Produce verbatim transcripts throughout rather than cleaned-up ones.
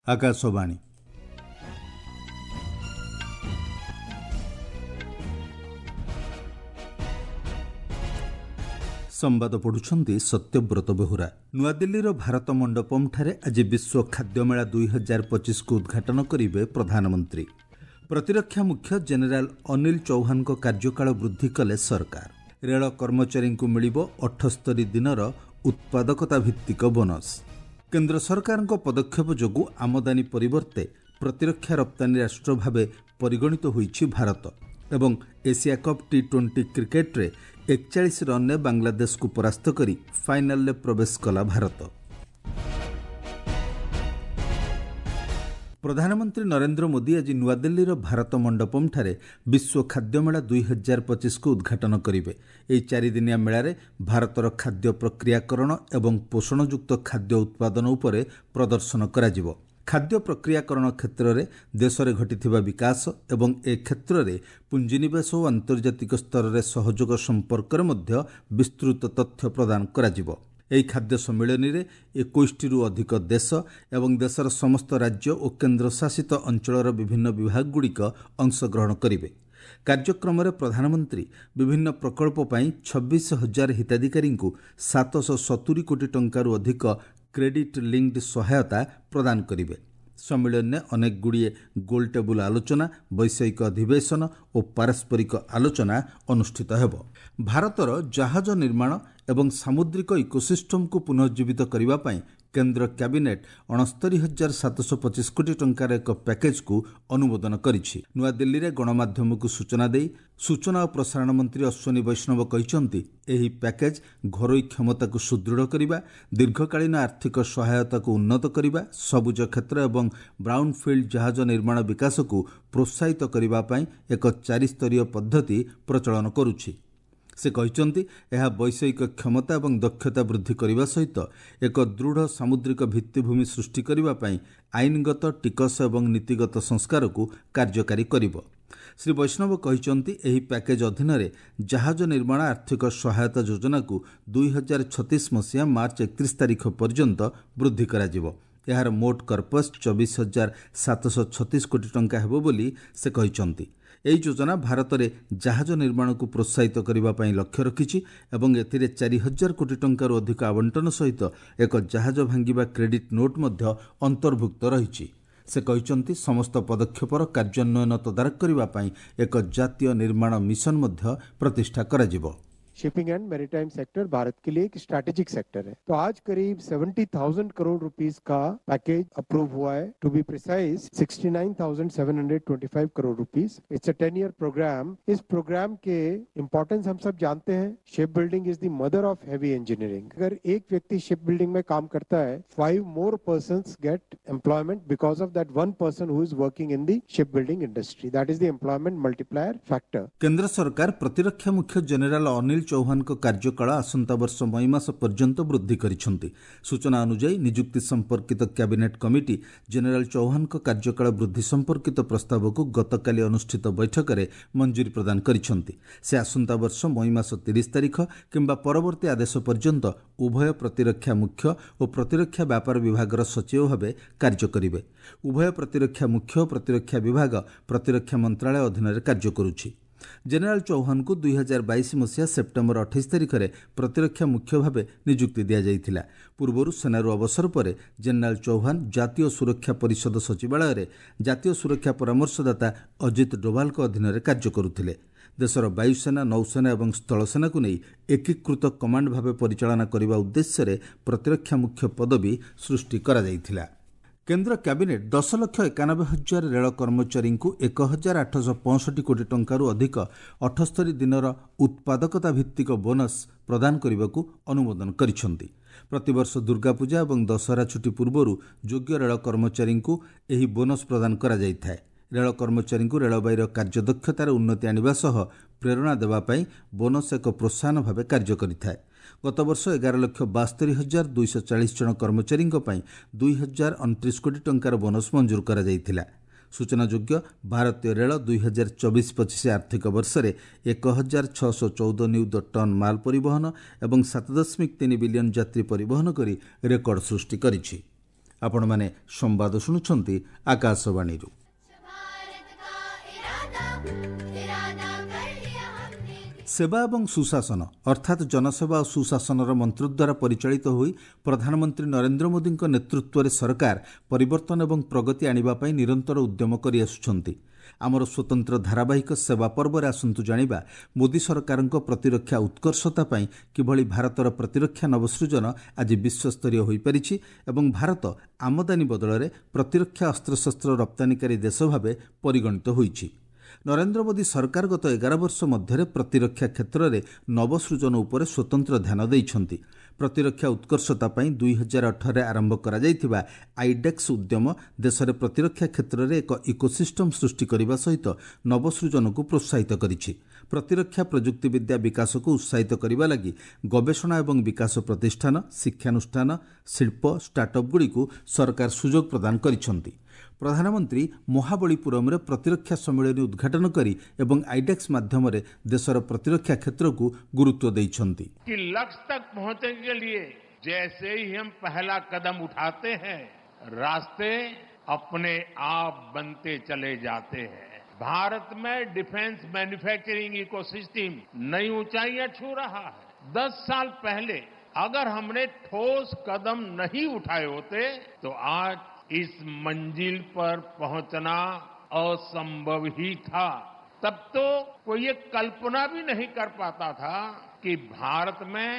ଆକାଶବାଣୀ। ସମ୍ବାଦ ପଢୁଛନ୍ତି ସତ୍ୟବ୍ରତ ବେହୁରା। ନୂଆଦିଲ୍ଲୀର ଭାରତ ମଣ୍ଡପମଠାରେ ଆଜି ବିଶ୍ୱ ଖାଦ୍ୟ ମେଳା ଦୁଇ ହଜାର ପଚିଶକୁ ଉଦ୍ଘାଟନ କରିବେ ପ୍ରଧାନମନ୍ତ୍ରୀ। ପ୍ରତିରକ୍ଷା ମୁଖ୍ୟ ଜେନେରାଲ ଅନିଲ ଚୌହାନଙ୍କ କାର୍ଯ୍ୟକାଳ ବୃଦ୍ଧି କଲେ ସରକାର। ରେଳ କର୍ମଚାରୀଙ୍କୁ ମିଳିବ ଅଠସ୍ତରୀ ଦିନର ଉତ୍ପାଦକତା ଭିତ୍ତିକ ବୋନସ୍। କେନ୍ଦ୍ର ସରକାରଙ୍କ ପଦକ୍ଷେପ ଯୋଗୁଁ ଆମଦାନୀ ପରିବର୍ତ୍ତେ ପ୍ରତିରକ୍ଷା ରପ୍ତାନୀ ରାଷ୍ଟ୍ର ଭାବେ ପରିଗଣିତ ହୋଇଛି ଭାରତ। ଏବଂ ଏସିଆ କପ୍ ଟି ଟ୍ୱେଣ୍ଟି କ୍ରିକେଟରେ ଏକଚାଳିଶ ରନ୍ରେ ବାଂଲାଦେଶକୁ ପରାସ୍ତ କରି ଫାଇନାଲରେ ପ୍ରବେଶ କଲା ଭାରତ। ପ୍ରଧାନମନ୍ତ୍ରୀ ନରେନ୍ଦ୍ର ମୋଦି ଆଜି ନୂଆଦିଲ୍ଲୀର ଭାରତ ମଣ୍ଡପମଠାରେ ବିଶ୍ୱ ଖାଦ୍ୟ ମେଳା ଦୁଇ ହଜାର ପଚିଶକୁ ଉଦ୍ଘାଟନ କରିବେ। ଏହି ଚାରିଦିନିଆ ମେଳାରେ ଭାରତର ଖାଦ୍ୟ ପ୍ରକ୍ରିୟାକରଣ ଏବଂ ପୋଷଣଯୁକ୍ତ ଖାଦ୍ୟ ଉତ୍ପାଦନ ଉପରେ ପ୍ରଦର୍ଶନ କରାଯିବ। ଖାଦ୍ୟ ପ୍ରକ୍ରିୟାକରଣ କ୍ଷେତ୍ରରେ ଦେଶରେ ଘଟିଥିବା ବିକାଶ ଏବଂ ଏ କ୍ଷେତ୍ରରେ ପୁଞ୍ଜିନିବେଶ ଓ ଆନ୍ତର୍ଜାତିକ ସ୍ତରରେ ସହଯୋଗ ସମ୍ପର୍କରେ ମଧ୍ୟ ବିସ୍ତୃତ ତଥ୍ୟ ପ୍ରଦାନ କରାଯିବ। ଏହି ଖାଦ୍ୟ ସମ୍ମିଳନୀରେ ଏକୋଇଶଟିରୁ ଅଧିକ ଦେଶ ଏବଂ ଦେଶର ସମସ୍ତ ରାଜ୍ୟ ଓ କେନ୍ଦ୍ରଶାସିତ ଅଞ୍ଚଳର ବିଭିନ୍ନ ବିଭାଗଗୁଡ଼ିକ ଅଂଶଗ୍ରହଣ କରିବେ। କାର୍ଯ୍ୟକ୍ରମରେ ପ୍ରଧାନମନ୍ତ୍ରୀ ବିଭିନ୍ନ ପ୍ରକଳ୍ପ ପାଇଁ ଛବିଶ ହଜାର ହିତାଧିକାରୀଙ୍କୁ ସାତଶହ ସତୁରି କୋଟି ଟଙ୍କାରୁ ଅଧିକ କ୍ରେଡିଟ୍ ଲିଙ୍କଡ୍ ସହାୟତା ପ୍ରଦାନ କରିବେ। ସମ୍ମିଳନୀରେ ଅନେକ ଗୁଡ଼ିଏ ଗୋଲ ଟେବୁଲ ଆଲୋଚନା, ବୈଷୟିକ ଅଧିବେଶନ ଓ ପାରସ୍ପରିକ ଆଲୋଚନା ଅନୁଷ୍ଠିତ ହେବ। ଭାରତର ଜାହାଜ ନିର୍ମାଣ ଏବଂ ସାମୁଦ୍ରିକ ଇକୋସିଷ୍ଟମକୁ ପୁନଃଜୀବିତ କରିବା ପାଇଁ କେନ୍ଦ୍ର କ୍ୟାବିନେଟ୍ ଅଣସ୍ତରୀ ହଜାର ସାତଶହ ପଚିଶ କୋଟି ଟଙ୍କାର ଏକ ପ୍ୟାକେଜକୁ ଅନୁମୋଦନ କରିଛି। ନୂଆଦିଲ୍ଲୀରେ ଗଣମାଧ୍ୟମକୁ ସୂଚନା ଦେଇ ସୂଚନା ଓ ପ୍ରସାରଣ ମନ୍ତ୍ରୀ ଅଶ୍ୱିନୀ ବୈଷ୍ଣବ କହିଛନ୍ତି, ଏହି ପ୍ୟାକେଜ ଘରୋଇ କ୍ଷମତାକୁ ସୁଦୃଢ଼ କରିବା, ଦୀର୍ଘକାଳୀନ ଆର୍ଥିକ ସହାୟତାକୁ ଉନ୍ନତ କରିବା, ସବୁଜ କ୍ଷେତ୍ର ଏବଂ ବ୍ରାଉନଫିଲ୍ଡ ଜାହାଜ ନିର୍ମାଣ ବିକାଶକୁ ପ୍ରୋତ୍ସାହିତ କରିବା ପାଇଁ ଏକ ଚାରିସ୍ତରୀୟ ପଦ୍ଧତି ପ୍ରଚଳନ କରୁଛି। ସେ କହିଛନ୍ତି, ଏହା ବୈଷୟିକ କ୍ଷମତା ଏବଂ ଦକ୍ଷତା ବୃଦ୍ଧି କରିବା ସହିତ ଏକ ଦୃଢ଼ ସାମୁଦ୍ରିକ ଭିତ୍ତିଭୂମି ସୃଷ୍ଟି କରିବା ପାଇଁ ଆଇନଗତ, ଟିକସ ଏବଂ ନୀତିଗତ ସଂସ୍କାରକୁ କାର୍ଯ୍ୟକାରୀ କରିବ। ଶ୍ରୀ ବୈଷ୍ଣବ କହିଛନ୍ତି, ଏହି ପ୍ୟାକେଜ ଅଧୀନରେ ଜାହାଜ ନିର୍ମାଣ ଆର୍ଥିକ ସହାୟତା ଯୋଜନାକୁ ଦୁଇ ହଜାର ଛତିଶ ମସିହା ମାର୍ଚ୍ଚ ଏକତିରିଶ ତାରିଖ ପର୍ଯ୍ୟନ୍ତ ବୃଦ୍ଧି କରାଯିବ। ଏହାର ମୋଟ କର୍ପସ୍ ଚବିଶ ହଜାର ସାତଶହ ଛତିଶ କୋଟି ଟଙ୍କା ହେବ ବୋଲି ସେ କହିଛନ୍ତି। ଏହି ଯୋଜନା ଭାରତରେ ଜାହାଜ ନିର୍ମାଣକୁ ପ୍ରୋତ୍ସାହିତ କରିବା ପାଇଁ ଲକ୍ଷ୍ୟ ରଖିଛି ଏବଂ ଏଥିରେ ଚାରି ହଜାର କୋଟି ଟଙ୍କାରୁ ଅଧିକ ଆବଣ୍ଟନ ସହିତ ଏକ ଜାହାଜ ଭାଙ୍ଗିବା କ୍ରେଡିଟ୍ ନୋଟ୍ ମଧ୍ୟ ଅନ୍ତର୍ଭୁକ୍ତ ରହିଛି। ସେ କହିଛନ୍ତି, ସମସ୍ତ ପଦକ୍ଷେପର କାର୍ଯ୍ୟାନ୍ୱୟନ ତଦାରଖ କରିବା ପାଇଁ ଏକ ଜାତୀୟ ନିର୍ମାଣ ମିଶନ ମଧ୍ୟ ପ୍ରତିଷ୍ଠା କରାଯିବ। Shipping and maritime sector Bharat के लिए एक स्ट्रैटेजिक सेक्टर है। तो आज करीब सेवेंटी थाउजेंड करोड़ रुपीस का पैकेज अप्रूव हुआ है। To be precise sixty nine thousand seven hundred twenty five crore rupees. It's a ten year programme. इस प्रोग्राम के इम्पोर्टेंस हम सब जानते हैं। Ship building is the mother of heavy engineering. अगर एक व्यक्ति शिप बिल्डिंग में काम करता है, five more persons get employment because of that one person who is working in the ship building industry. That is the employment multiplier factor. କେନ୍ଦ୍ର ସରକାର ପ୍ରତିରକ୍ଷା ମୁଖ୍ୟ ଜେନେରାଲ ଅନିଲ ଚୌହାନଙ୍କ କାର୍ଯ୍ୟକାଳ ଆସନ୍ତା ବର୍ଷ ମଇ ମାସ ପର୍ଯ୍ୟନ୍ତ ବୃଦ୍ଧି କରିଛନ୍ତି। ସୂଚନା ଅନୁଯାୟୀ, ନିଯୁକ୍ତି ସମ୍ପର୍କିତ କ୍ୟାବିନେଟ୍ କମିଟି ଜେନେରାଲ ଚୌହାନଙ୍କ କାର୍ଯ୍ୟକାଳ ବୃଦ୍ଧି ସମ୍ପର୍କିତ ପ୍ରସ୍ତାବକୁ ଗତକାଲି ଅନୁଷ୍ଠିତ ବୈଠକରେ ମଞ୍ଜୁରୀ ପ୍ରଦାନ କରିଛନ୍ତି। ସେ ଆସନ୍ତା ବର୍ଷ ମଇ ମାସ ତିରିଶ ତାରିଖ କିମ୍ବା ପରବର୍ତ୍ତୀ ଆଦେଶ ପର୍ଯ୍ୟନ୍ତ ଉଭୟ ପ୍ରତିରକ୍ଷା ମୁଖ୍ୟ ଓ ପ୍ରତିରକ୍ଷା ବ୍ୟାପାର ବିଭାଗର ସଚିବ ଭାବେ କାର୍ଯ୍ୟ କରିବେ। ଉଭୟ ପ୍ରତିରକ୍ଷା ମୁଖ୍ୟ ଓ ପ୍ରତିରକ୍ଷା ବିଭାଗ ପ୍ରତିରକ୍ଷା ମନ୍ତ୍ରାଳୟ ଅଧୀନରେ କାର୍ଯ୍ୟ କରୁଛି। ଜେନେରାଲ ଚୌହାନଙ୍କୁ ଦୁଇ ହଜାର ବାଇଶ ମସିହା ସେପ୍ଟେମ୍ବର ଅଠେଇଶ ତାରିଖରେ ପ୍ରତିରକ୍ଷା ମୁଖ୍ୟ ଭାବେ ନିଯୁକ୍ତି ଦିଆଯାଇଥିଲା। ପୂର୍ବରୁ ସେନାରୁ ଅବସର ପରେ ଜେନେରାଲ ଚୌହାନ ଜାତୀୟ ସୁରକ୍ଷା ପରିଷଦ ସଚିବାଳୟରେ ଜାତୀୟ ସୁରକ୍ଷା ପରାମର୍ଶଦାତା ଅଜିତ ଡୋଭାଲଙ୍କ ଅଧୀନରେ କାର୍ଯ୍ୟ କରୁଥିଲେ। ଦେଶର ବାୟୁସେନା, ନୌସେନା ଏବଂ ସ୍ଥଳସେନାକୁ ନେଇ ଏକୀକୃତ କମାଣ୍ଡ ଭାବେ ପରିଚାଳନା କରିବା ଉଦ୍ଦେଶ୍ୟରେ ପ୍ରତିରକ୍ଷା ମୁଖ୍ୟ ପଦବୀ ସୃଷ୍ଟି କରାଯାଇଥିଲା। କେନ୍ଦ୍ର କ୍ୟାବିନେଟ୍ ଦଶ ଲକ୍ଷ ଏକାନବେ ହଜାର ରେଳ କର୍ମଚାରୀଙ୍କୁ ଏକ ହଜାର ଆଠଶହ ପଞ୍ଚଷଠି କୋଟି ଟଙ୍କାରୁ ଅଧିକ ଅଠସ୍ତରୀ ଦିନର ଉତ୍ପାଦକତା ଭିତ୍ତିକ ବୋନସ୍ ପ୍ରଦାନ କରିବାକୁ ଅନୁମୋଦନ କରିଛନ୍ତି। ପ୍ରତିବର୍ଷ ଦୁର୍ଗାପୂଜା ଏବଂ ଦଶହରା ଛୁଟି ପୂର୍ବରୁ ଯୋଗ୍ୟ ରେଳ କର୍ମଚାରୀଙ୍କୁ ଏହି ବୋନସ୍ ପ୍ରଦାନ କରାଯାଇଥାଏ। ରେଳ କର୍ମଚାରୀଙ୍କୁ ରେଳବାଇର କାର୍ଯ୍ୟଦକ୍ଷତାରେ ଉନ୍ନତି ଆଣିବା ସହ ପ୍ରେରଣା ଦେବା ପାଇଁ ବୋନସ୍ ଏକ ପ୍ରୋତ୍ସାହନ ଭାବେ କାର୍ଯ୍ୟ କରିଥାଏ। ଗତବର୍ଷ ଏଗାର ଲକ୍ଷ ବାସ୍ତରୀ ହଜାର ଦୁଇଶହ ଚାଳିଶ ଜଣ କର୍ମଚାରୀଙ୍କ ପାଇଁ ଦୁଇ ହଜାର ଅଣତିରିଶ କୋଟି ଟଙ୍କାର ବୋନସ୍ ମଞ୍ଜୁର କରାଯାଇଥିଲା। ସୂଚନାଯୋଗ୍ୟ, ଭାରତୀୟ ରେଳ ଦୁଇ ହଜାର ଚବିଶ ପଚିଶ ଆର୍ଥିକ ବର୍ଷରେ ଏକ ହଜାର ଛଅଶହ ଚଉଦ ନିୟୁତ ଟନ୍ ମାଲ ପରିବହନ ଏବଂ ସାତ ଦଶମିକ ତିନି ବିଲିୟନ ଯାତ୍ରୀ ପରିବହନ କରି ରେକର୍ଡ ସୃଷ୍ଟି କରିଛି। ଆପଣମାନେ ସମ୍ବାଦ ଶୁଣୁଛନ୍ତି ଆକାଶବାଣୀରୁ। ସେବା ଏବଂ ସୁଶାସନ ଅର୍ଥାତ୍ ଜନସେବା ଓ ସୁଶାସନର ମନ୍ତ୍ର ଦ୍ୱାରା ପରିଚାଳିତ ହୋଇ ପ୍ରଧାନମନ୍ତ୍ରୀ ନରେନ୍ଦ୍ର ମୋଦିଙ୍କ ନେତୃତ୍ୱରେ ସରକାର ପରିବର୍ତ୍ତନ ଏବଂ ପ୍ରଗତି ଆଣିବା ପାଇଁ ନିରନ୍ତର ଉଦ୍ୟମ କରିଆସୁଛନ୍ତି। ଆମର ସ୍ୱତନ୍ତ୍ର ଧାରାବାହିକ ସେବା ପର୍ବରେ ଆସନ୍ତୁ ଜାଣିବା ମୋଦି ସରକାରଙ୍କ ପ୍ରତିରକ୍ଷା ଉତ୍କର୍ଷତା ପାଇଁ କିଭଳି ଭାରତର ପ୍ରତିରକ୍ଷା ନବସୃଜନ ଆଜି ବିଶ୍ୱସ୍ତରୀୟ ହୋଇପାରିଛି ଏବଂ ଭାରତ ଆମଦାନୀ ବଦଳରେ ପ୍ରତିରକ୍ଷା ଅସ୍ତ୍ରଶସ୍ତ୍ର ରପ୍ତାନିକାରୀ ଦେଶ ଭାବେ ପରିଗଣିତ ହୋଇଛି। ନରେନ୍ଦ୍ର ମୋଦି ସରକାର ଗତ ଏଗାର ବର୍ଷ ମଧ୍ୟରେ ପ୍ରତିରକ୍ଷା କ୍ଷେତ୍ରରେ ନବସୃଜନ ଉପରେ ସ୍ୱତନ୍ତ୍ର ଧ୍ୟାନ ଦେଇଛନ୍ତି। ପ୍ରତିରକ୍ଷା ଉତ୍କର୍ଷତା ପାଇଁ ଦୁଇ ହଜାର ଅଠରରେ ଆରମ୍ଭ କରାଯାଇଥିବା ଆଇଡେକ୍ସ ଉଦ୍ୟମ ଦେଶରେ ପ୍ରତିରକ୍ଷା କ୍ଷେତ୍ରରେ ଏକ ଇକୋସିଷ୍ଟମ୍ ସୃଷ୍ଟି କରିବା ସହିତ ନବସୃଜନକୁ ପ୍ରୋତ୍ସାହିତ କରିଛି। ପ୍ରତିରକ୍ଷା ପ୍ରଯୁକ୍ତିବିଦ୍ୟା ବିକାଶକୁ ଉତ୍ସାହିତ କରିବା ଲାଗି ଗବେଷଣା ଏବଂ ବିକାଶ ପ୍ରତିଷ୍ଠାନ, ଶିକ୍ଷାନୁଷ୍ଠାନ, ଶିଳ୍ପ, ଷ୍ଟାର୍ଟଅପ୍ଗୁଡ଼ିକୁ ସରକାର ସୁଯୋଗ ପ୍ରଦାନ କରିଛନ୍ତି। ପ୍ରଧାନମନ୍ତ୍ରୀ ମହାବଳୀପୁରମରେ ପ୍ରତିରକ୍ଷା ସମ୍ମିଳନୀ ଉଦ୍ଘାଟନ କରି ଏବଂ ଆଇଡେକ୍ସ ମାଧ୍ୟମରେ ଦେଶର ପ୍ରତିରକ୍ଷା କ୍ଷେତ୍ରକୁ ଗୁରୁତ୍ୱ ଦେଇଛନ୍ତି। कि लक्ष्य तक पहुंचने के लिए जैसे ही हम पहला कदम उठाते हैं, रास्ते अपने आप बनते चले जाते हैं। भारत में डिफेंस मैन्युफैक्चरिंग इकोसिस्टम नई ऊंचाइयां छू रहा है। दस साल पहले अगर हमने ठोस कदम नहीं उठाए होते तो आज इस मंजिल पर पहुंचना असंभव ही था। तब तो कोई ये कल्पना भी नहीं कर पाता था कि भारत में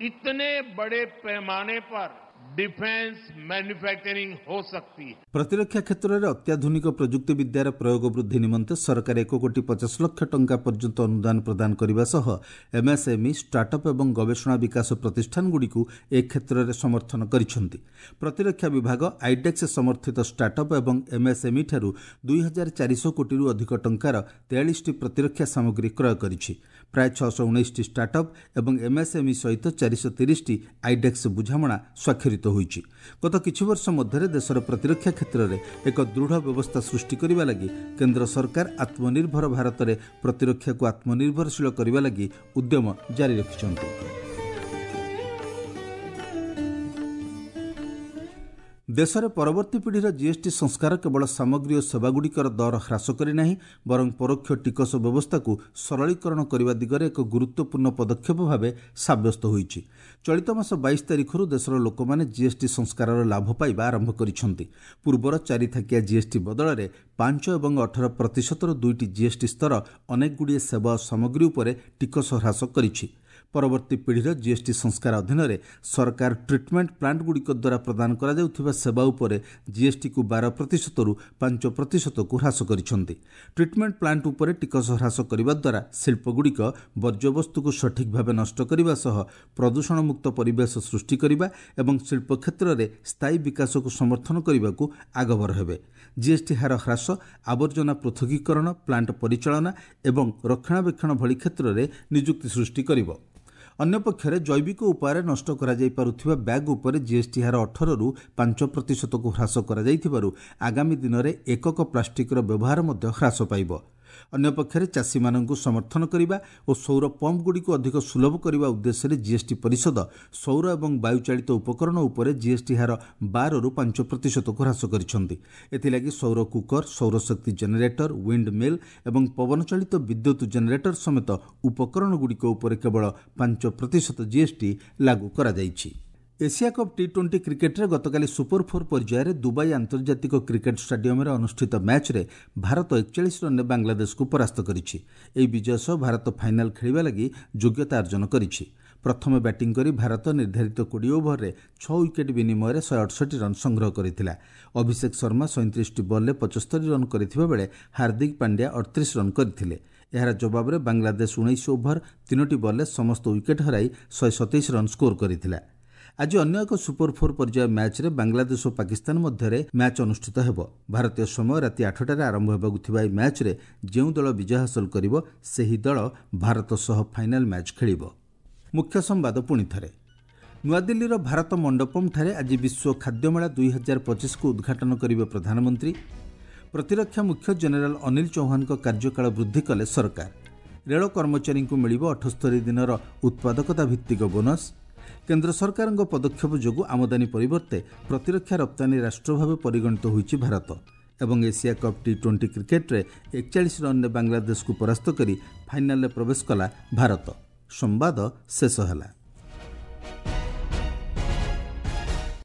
इतने बड़े पैमाने पर डिफेंस मैन्युफैक्चरिंग हो सकती है। ପ୍ରତିରକ୍ଷା କ୍ଷେତ୍ରରେ ଅତ୍ୟାଧୁନିକ ପ୍ରଯୁକ୍ତିବିଦ୍ୟାର ପ୍ରୟୋଗ ବୃଦ୍ଧି ନିମନ୍ତେ ସରକାର ଏକ କୋଟି ପଚାଶ ଲକ୍ଷ ଟଙ୍କା ପର୍ଯ୍ୟନ୍ତ ଅନୁଦାନ ପ୍ରଦାନ କରିବା ସହ ଏମ୍ଏସ୍ଏମ୍ଇ, ଷ୍ଟାର୍ଟଅପ୍ ଏବଂ ଗବେଷଣା ବିକାଶ ପ୍ରତିଷ୍ଠାନଗୁଡ଼ିକୁ ଏ କ୍ଷେତ୍ରରେ ସମର୍ଥନ କରିଛନ୍ତି। ପ୍ରତିରକ୍ଷା ବିଭାଗ ଆଇଡେକ୍ସ ସମର୍ଥିତ ଷ୍ଟାର୍ଟଅପ୍ ଏବଂ ଏମ୍ଏସ୍ଏମ୍ଇ ଠାରୁ ଦୁଇ ହଜାର ଚାରିଶହ କୋଟିରୁ ଅଧିକ ଟଙ୍କାର ତେୟାଳିଶଟି ପ୍ରତିରକ୍ଷା ସାମଗ୍ରୀ କ୍ରୟ କରିଛି। ପ୍ରାୟ ଛଅଶହ ଉଣେଇଶଟି ଷ୍ଟାର୍ଟଅପ୍ ଏବଂ ଏମ୍ଏସ୍ଏମ୍ଇ ସହିତ ଚାରିଶହ ତିରିଶଟି ଆଇଡେକ୍ସ ବୁଝାମଣା ସ୍ୱାକ୍ଷରିତ ହୋଇଛି। ଗତ କିଛି ବର୍ଷ ମଧ୍ୟରେ ଦେଶର ପ୍ରତିରକ୍ଷା କ୍ଷେତ୍ରରେ ଏକ ଦୃଢ଼ ବ୍ୟବସ୍ଥା ସୃଷ୍ଟି କରିବା ଲାଗି କେନ୍ଦ୍ର ସରକାର ଆତ୍ମନିର୍ଭର ଭାରତରେ ପ୍ରତିରକ୍ଷାକୁ ଆତ୍ମନିର୍ଭରଶୀଳ କରିବା ଲାଗି ଉଦ୍ୟମ ଜାରି ରଖିଛନ୍ତି। ଦେଶରେ ପରବର୍ତ୍ତୀ ପିଢ଼ିର ଜିଏସ୍ଟି ସଂସ୍କାର କେବଳ ସାମଗ୍ରୀ ଓ ସେବାଗୁଡ଼ିକର ଦର ହ୍ରାସ କରିନାହିଁ, ବରଂ ପରୋକ୍ଷ ଟିକସ ବ୍ୟବସ୍ଥାକୁ ସରଳୀକରଣ କରିବା ଦିଗରେ ଏକ ଗୁରୁତ୍ୱପୂର୍ଣ୍ଣ ପଦକ୍ଷେପ ଭାବେ ସାବ୍ୟସ୍ତ ହୋଇଛି। ଚଳିତ ମାସ ବାଇଶ ତାରିଖରୁ ଦେଶର ଲୋକମାନେ ଜିଏସ୍ଟି ସଂସ୍କାରର ଲାଭ ପାଇବା ଆରମ୍ଭ କରିଛନ୍ତି। ପୂର୍ବର ଚାରିଥାକିଆ ଜିଏସ୍ଟି ବଦଳରେ ପାଞ୍ଚ ଏବଂ ଅଠର ପ୍ରତିଶତର ଦୁଇଟି ଜିଏସ୍ଟି ସ୍ତର ଅନେକଗୁଡ଼ିଏ ସେବା ଓ ସାମଗ୍ରୀ ଉପରେ ଟିକସ ହ୍ରାସ କରିଛି। ପରବର୍ତ୍ତୀ ପିଢ଼ିର ଜିଏସ୍ଟି ସଂସ୍କାର ଅଧୀନରେ ସରକାର ଟ୍ରିଟମେଣ୍ଟ ପ୍ଲାଣ୍ଟଗୁଡ଼ିକ ଦ୍ୱାରା ପ୍ରଦାନ କରାଯାଉଥିବା ସେବା ଉପରେ ଜିଏସ୍ଟିକୁ ବାର ପ୍ରତିଶତରୁ ପାଞ୍ଚ ପ୍ରତିଶତକୁ ହ୍ରାସ କରିଛନ୍ତି। ଟ୍ରିଟମେଣ୍ଟ ପ୍ଲାଣ୍ଟ ଉପରେ ଟିକସ ହ୍ରାସ କରିବା ଦ୍ୱାରା ଶିଳ୍ପଗୁଡ଼ିକ ବର୍ଜ୍ୟବସ୍ତୁକୁ ସଠିକ୍ ଭାବେ ନଷ୍ଟ କରିବା ସହ ପ୍ରଦୂଷଣମୁକ୍ତ ପରିବେଶ ସୃଷ୍ଟି କରିବା ଏବଂ ଶିଳ୍ପ କ୍ଷେତ୍ରରେ ସ୍ଥାୟୀ ବିକାଶକୁ ସମର୍ଥନ କରିବାକୁ ଆଗଭର ହେବେ। ଜିଏସ୍ଟି ହାର ହ୍ରାସ ଆବର୍ଜନା ପୃଥକୀକରଣ, ପ୍ଲାଣ୍ଟ ପରିଚାଳନା ଏବଂ ରକ୍ଷଣାବେକ୍ଷଣ ଭଳି କ୍ଷେତ୍ରରେ ନିଯୁକ୍ତି ସୃଷ୍ଟି କରିବ। ଅନ୍ୟପକ୍ଷରେ ଜୈବିକ ଉପାୟରେ ନଷ୍ଟ କରାଯାଇପାରୁଥିବା ବ୍ୟାଗ୍ ଉପରେ ଜିଏସ୍ଟି ହାର ଅଠରରୁ ପାଞ୍ଚ ପ୍ରତିଶତକୁ ହ୍ରାସ କରାଯାଇଥିବାରୁ ଆଗାମୀ ଦିନରେ ଏକକ ପ୍ଲାଷ୍ଟିକ୍ର ବ୍ୟବହାର ମଧ୍ୟ ହ୍ରାସ ପାଇବ। ଅନ୍ୟପକ୍ଷରେ ଚାଷୀମାନଙ୍କୁ ସମର୍ଥନ କରିବା ଓ ସୌର ପମ୍ପଗୁଡ଼ିକୁ ଅଧିକ ସୁଲଭ କରିବା ଉଦ୍ଦେଶ୍ୟରେ ଜିଏସ୍ଟି ପରିଷଦ ସୌର ଏବଂ ବାୟୁଚାଳିତ ଉପକରଣ ଉପରେ ଜିଏସ୍ଟି ହାର ବାରରୁ ପାଞ୍ଚ ପ୍ରତିଶତକୁ ହ୍ରାସ କରିଛନ୍ତି। ଏଥିଲାଗି ସୌର କୁକର, ସୌରଶକ୍ତି ଜେନେରେଟର, ୱିଣ୍ଡ ମିଲ୍ ଏବଂ ପବନଚାଳିତ ବିଦ୍ୟୁତ୍ ଜେନେରେଟର ସମେତ ଉପକରଣଗୁଡ଼ିକ ଉପରେ କେବଳ ପାଞ୍ଚ ପ୍ରତିଶତ ଜିଏସ୍ଟି ଲାଗୁ କରାଯାଇଛି। ଏସିଆ କପ୍ ଟି ଟ୍ୱେଣ୍ଟି କ୍ରିକେଟ୍ରେ ଗତକାଲି ସୁପର ଫୋର୍ ପର୍ଯ୍ୟାୟରେ ଦୁବାଇ ଆନ୍ତର୍ଜାତିକ କ୍ରିକେଟ୍ ଷ୍ଟାଡିୟମରେ ଅନୁଷ୍ଠିତ ମ୍ୟାଚ୍ରେ ଭାରତ ଏକଚାଳିଶ ରନ୍ରେ ବାଂଲାଦେଶକୁ ପରାସ୍ତ କରିଛି। ଏହି ବିଜୟ ସହ ଭାରତ ଫାଇନାଲ୍ ଖେଳିବା ଲାଗି ଯୋଗ୍ୟତା ଅର୍ଜନ କରିଛି। ପ୍ରଥମେ ବ୍ୟାଟିଂ କରି ଭାରତ ନିର୍ଦ୍ଧାରିତ କୋଡ଼ିଏ ଓଭରରେ ଛଅ ୱିକେଟ୍ ବିନିମୟରେ ଶହେ ଅଠଷଠି ରନ୍ ସଂଗ୍ରହ କରିଥିଲା। ଅଭିଷେକ ଶର୍ମା ସଇଁତିରିଶଟି ବଲ୍ରେ ପଞ୍ଚସ୍ତରୀ ରନ୍ କରିଥିବା ବେଳେ ହାର୍ଦ୍ଦିକ ପାଣ୍ଡ୍ୟା ଅଠତିରିଶ ରନ୍ କରିଥିଲେ। ଏହାର ଜବାବରେ ବାଂଲାଦେଶ ଉଣେଇଶ ଓଭର ତିନୋଟି ବଲ୍ରେ ସମସ୍ତ ୱିକେଟ୍ ହରାଇ ଶହେ ସତେଇଶ ରନ୍ ସ୍କୋର କରିଥିଲା। ଆଜି ଅନ୍ୟ ଏକ ସୁପର ଫୋର୍ ପର୍ଯ୍ୟାୟ ମ୍ୟାଚ୍ରେ ବାଂଲାଦେଶ ଓ ପାକିସ୍ତାନ ମଧ୍ୟରେ ମ୍ୟାଚ୍ ଅନୁଷ୍ଠିତ ହେବ। ଭାରତୀୟ ସମୟ ରାତି ଆଠଟାରେ ଆରମ୍ଭ ହେବାକୁ ଥିବା ଏହି ମ୍ୟାଚ୍ରେ ଯେଉଁ ଦଳ ବିଜୟ ହାସଲ କରିବ ସେହି ଦଳ ଭାରତ ସହ ଫାଇନାଲ୍ ମ୍ୟାଚ୍ ଖେଳିବ। ମୁଖ୍ୟ ସମ୍ବାଦ ପୁଣି ଥରେ। ନୂଆଦିଲ୍ଲୀର ଭାରତ ମଣ୍ଡପମ୍ଠାରେ ଆଜି ବିଶ୍ୱ ଖାଦ୍ୟମେଳା ଦୁଇ ହଜାର ପଚିଶକୁ ଉଦ୍ଘାଟନ କରିବେ ପ୍ରଧାନମନ୍ତ୍ରୀ। ପ୍ରତିରକ୍ଷା ମୁଖ୍ୟ ଜେନେରାଲ ଅନିଲ ଚୌହାନଙ୍କ କାର୍ଯ୍ୟକାଳ ବୃଦ୍ଧି କଲେ ସରକାର। ରେଳ କର୍ମଚାରୀଙ୍କୁ ମିଳିବ ଅଠସ୍ତରୀ ଦିନର ଉତ୍ପାଦକତା ଭିତ୍ତିକ ବୋନସ୍। କେନ୍ଦ୍ର ସରକାରଙ୍କ ପଦକ୍ଷେପ ଯୋଗୁଁ ଆମଦାନୀ ପରିବର୍ତ୍ତେ ପ୍ରତିରକ୍ଷା ରପ୍ତାନୀ ରାଷ୍ଟ୍ର ଭାବେ ପରିଗଣିତ ହୋଇଛି ଭାରତ। ଏବଂ ଏସିଆ କପ୍ ଟି ଟ୍ୱେଣ୍ଟି କ୍ରିକେଟ୍ରେ ଏକଚାଳିଶ ରନ୍ରେ ବାଂଲାଦେଶକୁ ପରାସ୍ତ କରି ଫାଇନାଲରେ ପ୍ରବେଶ କଲା ଭାରତ। ସମ୍ବାଦ ଶେଷ ହେଲା।